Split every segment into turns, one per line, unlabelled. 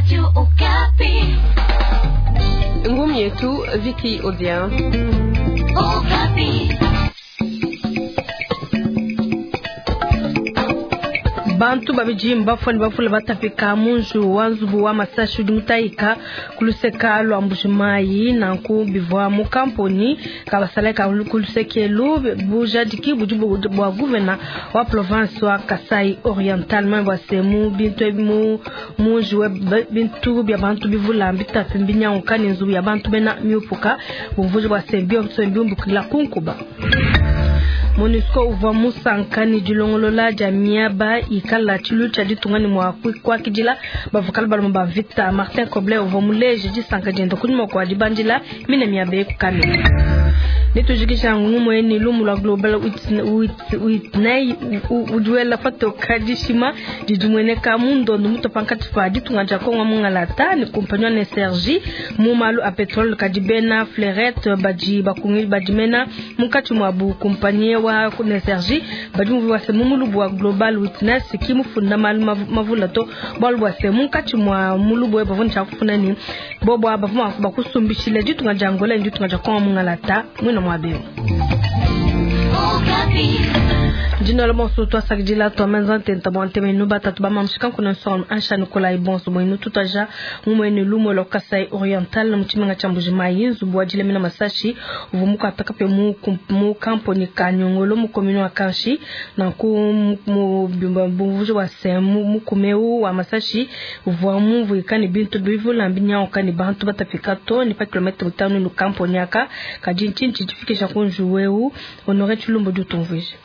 Radio Okapi.
Ngumi yetu Vicky Odia.
Okapi.
Bantu babidi mbafua ne bavule batapika mu nzubu wa nzubu wa masashi udi mutayika ku luseka lua Mbuji-Mayi. Nanku bivua mu kamponi ka basalayi ka ku luseke elu. Bujadiki budi bua guvena wa province wa Kasai Oriental manye bua se mu bintu ebi mu mu njiwe bintu bia bantu bivula mbitapi mbinyanguka ne nzubu ya bantu bena miupuka bumvuija bua se bionso mbiumbukila ku nkuba. MONUSCO uvua musanka ne dilongolola dia miaba ikala tshiluilu tshia ditunga ne mua kuakidila bavua kale balomba ba mvita. Martin Kobler uvua muleje disanka diende kunyima kua dibandila mine miaba eyi ku Kamina. Netujikija ngumue ne lumu lua Global Witness udi wela patoka dishima didi mueneka mu ndondo mutua pankatshi pa ditunga dia Kongo mungalata ne kumpanyi wa NSRJ mu malu a petrole. Kadi bena Fleurette badi bakungi badi mena munkatshi muabu kumpanyi wa NSRJ badi muvua se mu mulubu wa Global Witness ki mufunda malu mavula to bualu bua se munkatshi mua mulubu we bavua ne tshia kufunda ne bobo aba bavua mua bakusumbishila ditunga dia Angola ne ditunga dia Kongo mungalata muina muaba eu. Dinola bonso twasakidila twamenza ntenta bua ntemenu batatu ba mamushika nkuna nsonga ansha Nikolai bonso boinu tutaja mumuene lumu lwa Kasai Oriental mu tshimenga tshia Mbuji-Mayi nzubu wa dilemena masashi uvua mukuata kapia mu mu kamponi ka Nyongolo mu commune wa Kanshi. Nanku mu bumvuji bua se mukumeu wa masashi uvua mumvuika ne bintu bivula mbinyanguka ne bantu batapika to ne pa kilometre mitanu ne kamponi aka. Kadi ntshinyi tshidifikisha ku nzubu eu? Honore Tshilumbu udi utumvuija.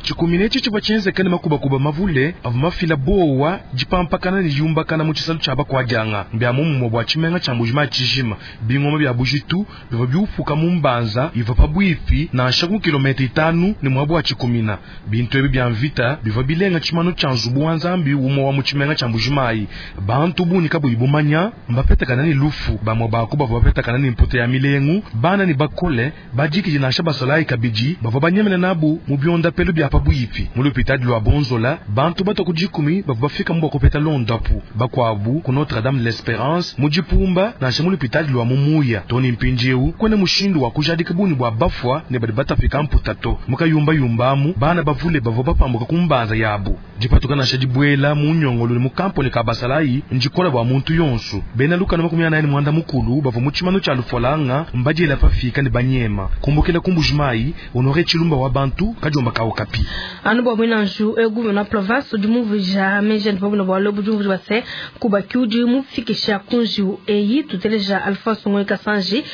Tshikumina etshi tshivua tshienzeke ne makubakuba mavule avua mafila buowa, dipampakana ne diumbakana mu tshisalu tshia bakuadianga. Mbia muomumue bua tshimenga tshia Mbuji-Mayi tshijima. Bingoma bia bujitu bivua biupuka mu mbanza ivua pabuipi nansha ku kilometre itanu ne muaba wa tshikumina. Bintu ebi bia mvita bivua bilenga tshimanu tshia nzubu wa Nzambi umue wa mu tshimenga tshia Mbuji-Mayi. Bantu bungi kabuyi bumanya mbapetakana ne lufu. Bamue ba ku bavua bapetakana ne mputa ya milengu, bana ne bakole, bajikiji nansha basalayi kabidi bavua banyemena nabu mu biondapelu bia pabuipi. Mu lupitadi lua Bonzola, bantu batua ku dikumi bavua bafikamu bua kupeta londapu, bakuabu ku Notre-Dame de l'Esperance mu Dipumba nansha mu lupitadi lua mu Muya. Too ne mpindieu kuena mushindu wa kujadika bungi bua bafua ne badi batapika mputa to. Mu kayumbayumba amu, bana bavule bavua bapambuka ku mbanza yabu. Dipatuka nansha dibuela mu nyongolo ne mu kamponi ka basalayi ndikola bua muntu yonso. Bena lukanu 45 bavua mu tshimanu tshia lufualanga mbadiela pafika ne banyema kumbukila ku Mbuji-Mayi. Honore Tshilumba wa bantu kadiomba ka Okapi.
Anu bua muina nju eu gouverneur province udi mumvuija meji andi pabuna bualu budi umvuija bua se kubaki udi mufikisha ku njiwu eyi. Tuteleja Alphonse Ngoyi Kasanji,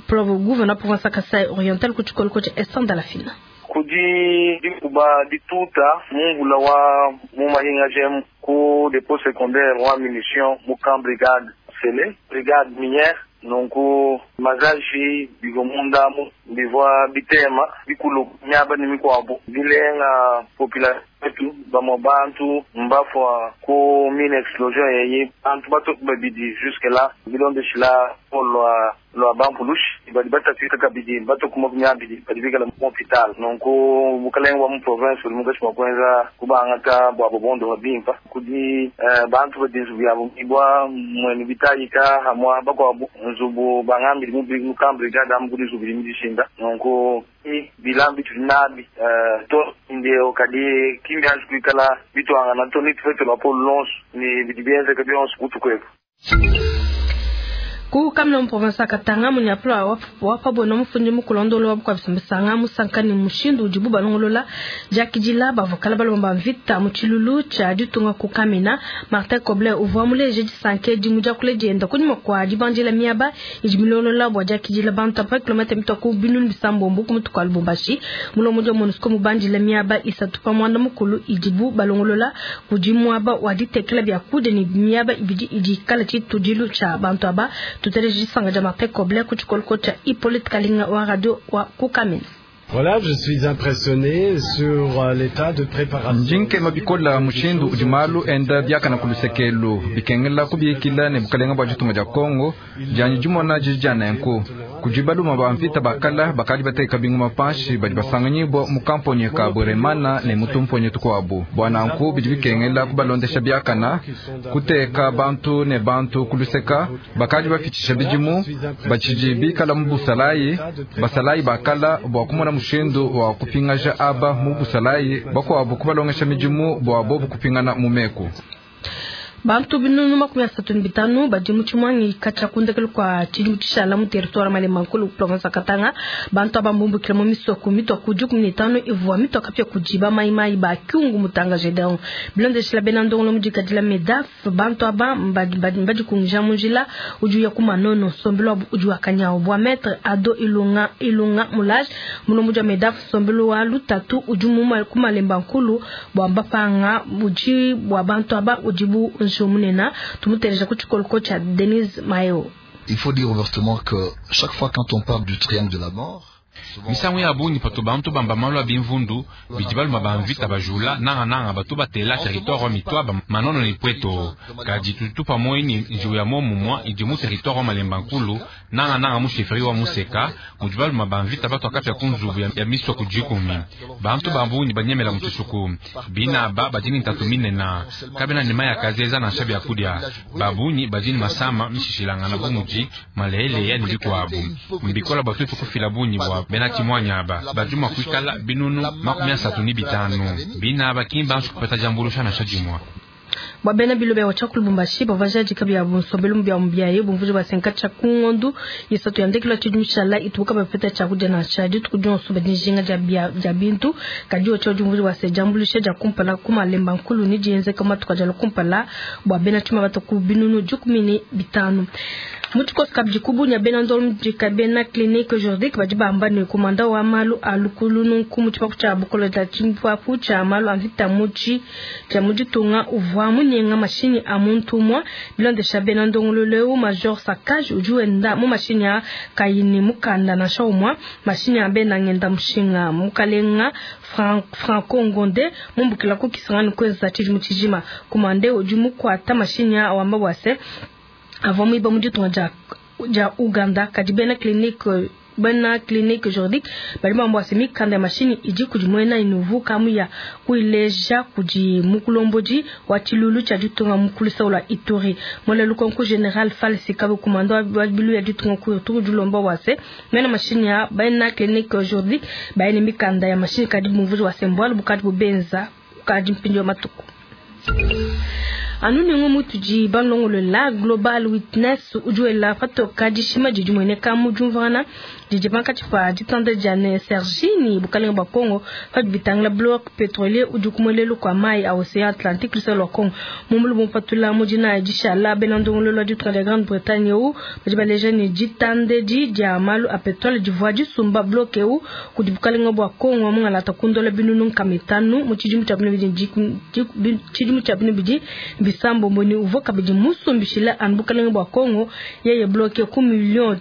gouverneur province ya Kasai Oriental ku tshikoloko tshia Esther Ndalafina.
Kudi dikuba dituta mu mvula wa mu mahinga ku dépôt secondaire wa munition mu camp brigade Sele, brigade minière. Nunku mazaji bivua munda mu bivua bitema bikulu miaba ne mikuabu bilenga population wetu. Bamue bantu mbafua ku mine explosion yeyi, bantu batoke babidi jusque là bilondeshila lua lua bampulushi badi batapika kabidi batoke 20 badi bikala mu hôpital. Nunku bukalenge bwa mu province budi mukashi bua kuenza kubangata bua bobondo bimpa kudi bantu badi nzubu yabo ibwa mwene bitayika hamwa bakuabu nzubu bangambili mu camp brigade amu kudi nzubu midishinda. Nunku bilambi tudi nabi to ndio kadi kimbi anji kuikala bitwangana to ni tufete lwa lonso ni bidi bienzeka bionso kutukwepo.
Ku Kamina mu province ya Katanga munyapula wapabona mufundi mukulondolo wa bukua bisambisanga musanka ne mushindu udibu balongolola diakidila bavua kale balomba mvita mu tshilulu tshia ditunga ku Kamina. Martin Kobler uvua muleje disanka edi mu diakula dienda kunyima kua dibandila miaba idi milongolola bua diakidila bantu apa kilometre mitua ku 700 ku mutu kua Lubumbashi. Mulombodi wa MONUSCO mubandila miaba isatu pa muanda mukulu idibu balongolola kudi muaba wa ditekela biakudia ne miaba ibidi idi ikala tshitudilu tshia bantu aba. Tuteleje disanga dia Martin Kobler ku tshikoloko tshia Hippolyte Kalinga wa radio wa ku Kamina.
Voilà, je suis impressionné sur l'état de préparation.
Ndi nkema bikola mushindu udi malu enda biakana ku lusekelu bikengela kubikila ne bukalenga bua ditunga dia Kongo dianyi dimona didi dia nenku kudi baluma ba mvita bakala bakadi bateka bingoma panshi badi basanganyibwa mu kamponyi ka Bweremana ne mutumponyi tukuabu bua nanku bidi bikengela kubalondesha biakana kuteka bantu ne bantu kuluseka bakadi bafitisha bidimu batshidi bikala mu busalayi basalayi bakala bua kumona mushindu wa kupingaja aba mu busalayi bakuabu kubalongesha midimu bua bobu kupingana mu meku.
Bantu binunu 35 badi mu tshimuangi katshia ku ndekelu kua tshidimu tshishala mu territoire Malemba Nkulu province ya Katanga. Bantu aba mbumbukile mu misoko mitua ku 15 ivua mitua kapia kudi ba mayimayi ba Kyungu Mutanga Gedeon. Bilondeshila bena ndongolo mu dikadila MEDAF, bantu aba mbadikungija mu njila udi uya ku Manono, nsombelu wabu udi wa kanyawu. Bua Maître Ado Ilunga Ilunga Mulage, mulombodi wa MEDAF, nsombelu wa lutatu udi mu ku Malemba Nkulu bua mbapanga udi bua bantu aba udi bu munena tumuteleja ku tshikoloko tsha Denise Mayo.
Il faut dire ouvertement que chaque fois quand on parle du triangle de la mort,
misangu ya bungi patu bantu bamba malu a bimvundu bidi baluma ba mvita bajula nangananga batu batela territoire wa Mitwaba Manono ne Pweto kadi tutu pamoi ni njiwu ya momumwa idi mu territoire wa Malemba Nkulu nangananga mu chefferie wa Museka mudi baluma ba mvita batu akapia ku nzubu ya misoko dikumi bantu ba bungi banyemela mu tshisuku bina aba badi ni ntatu minena kabena ne mayi akazeza nansha byakudia ba bungi badi ni masama mishishilangana bu mudi maleheleya ne bikuabu mbikola bua tuetu kufila bungi bua bena tshimuanyi aba badi mua kuikala binunu 35 bina aba ki mbanji kupeta diambuluisha nansha dimue.
Bua bena bilobe wa tshia ku Lubumbashi bavua jadika bia nsombelu bia biaye bumvuja basenka tshia ku ngondu isatu ya ndekelu ya tshidimu tshishala itubuka bapeta tshiakudia nansha dituku dionso badi njinga dia bintu kadi otshia diumvuja bua diambuluisha dia kumpala ku Malemba Nkulu ne dienzeka matuku adia kumpala bua bena tshima bata ku binunu 15. Mu tshikoso kabidi kubunya bena ndolo dika bena clinique juridique badi bamba ne komanda wa malu a lukulu nunku mu tshipapu tshia bukolo dia tshipapu tshia malu a mvita mutshi tshia mu ditunga uvua munyenga mashinyi a muntu umue bilondesha bena ndongololo major Sakaj udi wenda mu mashinyi a kayi ne mukanda nansha umue mashinyi a bena ngenda mushinga mukalenga Franco Ngonde mumbukila ku Kisangani kwenza tshidimu tshijima komande udi mukuata mashinyi a wamba bua se avua muiba mu ditunga dia Uganda kadi bena clinique juridique bali bamba se mikanda ya mashinyi idi kudi muena inuvu kamuya kuileja kudi mukulombodi wa tshilulu tshia ditunga mukulu saula Ituri mwele lukonko general Falsi kabe komando wa bilu ya ditunga ku turu dilomba wa se mena mashinyi ya bena clinique juridique bayene mikanda ya mashinyi kadi mumvuji wa sembwalo bukadi bubenza kadi mpindi wa matuku. Anu nengo mutuji balongolo la Global Witness ujuela patoka dishima didi mueneka mu diumvuangana didi pankatshi pa ditanda dia ne Sergini bukalenga bua Congo padi bitangila bloc pétrolier udi ku muelelu kua mayi a océan Atlantique luseke lua Congo mumbulu mupatula mu dina dishala bena ndongololo lua ditunga dia Grande-Bretagne eu badi baleja ne ditanda edi dia malu a pétrole divua disumba bloc eu kudi bukalenga bua Congo mungalata kundola binunu 5 mu tshidimu tshia binu bidi bisambo mboni uvua kabidi musumbishila anu bukalenga bua Congo yeye bloke ku million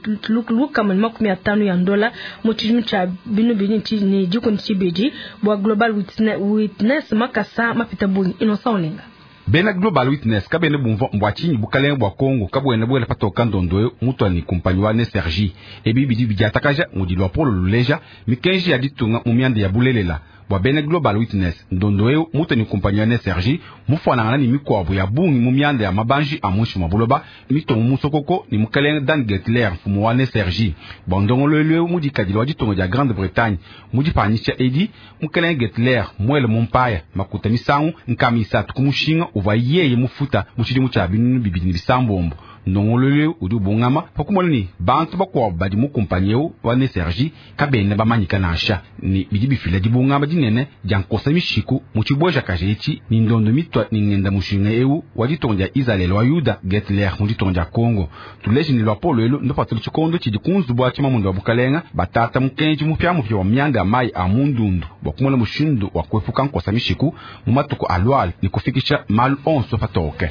lukama ne 50 ya dola mu tshidimu tshia binu bidi ne dikumi tshibidi bua Global Witness makasa mapita bungi Innocent Olenga.
Bena Global Witness kabene bumva mbwa tshinyi bukalenga bua Congo kabwena bwela patoka ndondo mutwani kumpanyi wa Nesergi ebi bidi bidiatakaja mudi luapolo luleja mikenji ya ditunga mu mianda ya bulelela bua bena Global Witness ndondo eu mutwani kumpanyi wa Nesergi mufanangana ni mikuabu ya bungi mu mianda ya mabanji a munshi mwa buloba mitomu musokoko ni mukalenga Dan Gertler mfumu wa Nesergi bua ndongoluelu eu mudikadile wa ditunga dia Grande-Bretagne mudipanyisha edi mukalenga Gertler mwele mumpaya makuta misangu nkama isatu ku mushinga uvua yeye mufuta mu tshidimu tshia binunu 2006 ndongoluelu udi ubungama pakumona ni bantu bakuabu badi mu kumpanyi eu wa Nesergi kabena bamanyika nansha ni bidi bifila dibungama dinene dia nkosa mishiku mu tshibwejakaja etshi ni ndondo mitwa ni ngenda mushinga eu wa ditunga dia Israel wa Yuda Gertler mu ditunga dia Congo tuleje ni luapolo elu ndupatula tshikondo tshidi ku nzubu wa tshimamundu wa bukalenga batata mukenji mupiamupia wa mianda ya mayi a mundundu bua kumona mushindu wa kuepuka nkosa mishiku mu matuku aluala ni kufikisha malu onso patoke.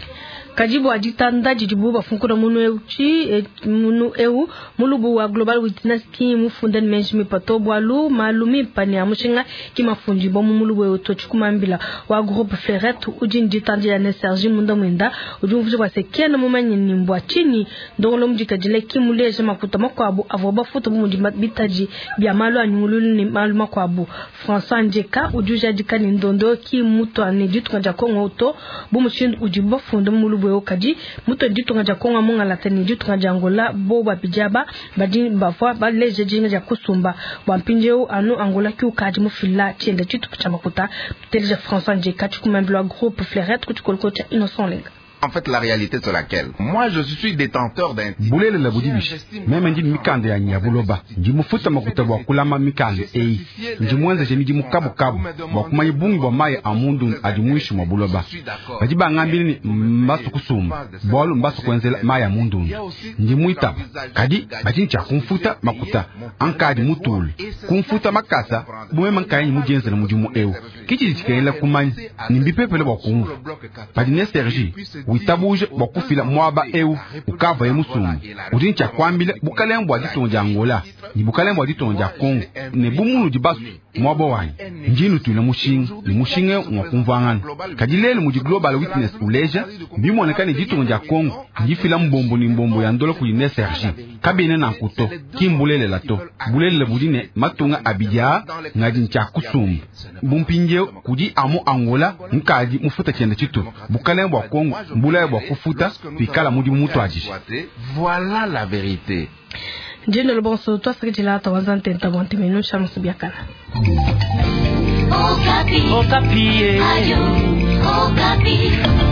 Kadi bua ditanda didibu bafunkuna Difunkuna munu eu munu eu mulubu wa Global Witness ki mufunda ne menji mimpa to, bualu malu mimpa ne a mushinga ki mafundibua mu mulubu eu to. Tshikumambila wa Groupe Ferret udi ne ditandila ne Sergi munda muenda udi umvuija bua se kena mumanye ni mbua tshinyi ndongolo mudikadile ki muleja makuta makuabu avua bafuta bu mudi bitadi bia malu a nyungululu ne malu makuabu. François Ndjeka udi ujadika ne ndondo ki mutua ne ditunga dia Congo to bu mushindu udibu bafunda mu mulubu eu, kadi mutua ne ditunga dia Congo mungalata ne ditunga dia Angola bo babidi aba badi bavua baleja dijinga dia kusumba. Bua mpindieu anu Angola ki ukadi mufila tshienda tshitupa tshia makuta. Tuteleja François Ndjeka, tshikumambila wa Groupe Fleurette ku tshikolokolo tshia Innocent Olenga.
En fait, la réalité c'est laquelle? Moi, je suis détenteur d'un titre.
Bulelela budi bishi, meme ndi ne mikanda yanyi ya buloba, ndi mufuta makuta bua kulama mikanda eyi, ndi muenzeje midimu kabukabu bua kumanya bungi bua mayi a mundundu adi muinshi mua buloba. Badi bangambila ne mbasu kusumba, bualu mbasu kuenzela mayi a mundundu. Ndi muitaba, kadi badi ne tshia kumfuta makuta ankadi mutule, kumfuta makasa bu meme nkayanyi mudienzela mudimu eu. Ke tshidi tshikengela kumanya ne mbipepele bua kumvua. Padi ne Sergi witabuja bua kufila muaba eu ukavaye musumba, udi ne tshia kuambila bukalenge bua ditunga dia Angola ne bukalenge bua ditunga dia Congo ne bu munudi basue muaba wanyi, ndi nutuila mushinga ne mushinga eu ngua kumvuangana. Kadi lelu mudi Global Witness uleja, mbimueneka ne ditunga dia Congo ndifila mbombo ne mbombo ya ndola kudi NSRG. Kabiena nanku to, ki mbulelela to. Bulelela budi ne matunga abidi aa ngadi ne tshia kusumba. Bu mpindieu kudi amu Angola nkadi mufuta tshienda tshitupa, bukalenge bua Congo mbulaya bua kufuta pikala mudimu mutuadije.
Voilà la vérité.
Ndino bonso twasakidila tawanza ntenta bua ntemenu shamusu biakala.
Okapi. Okapi. Ayo, Okapi.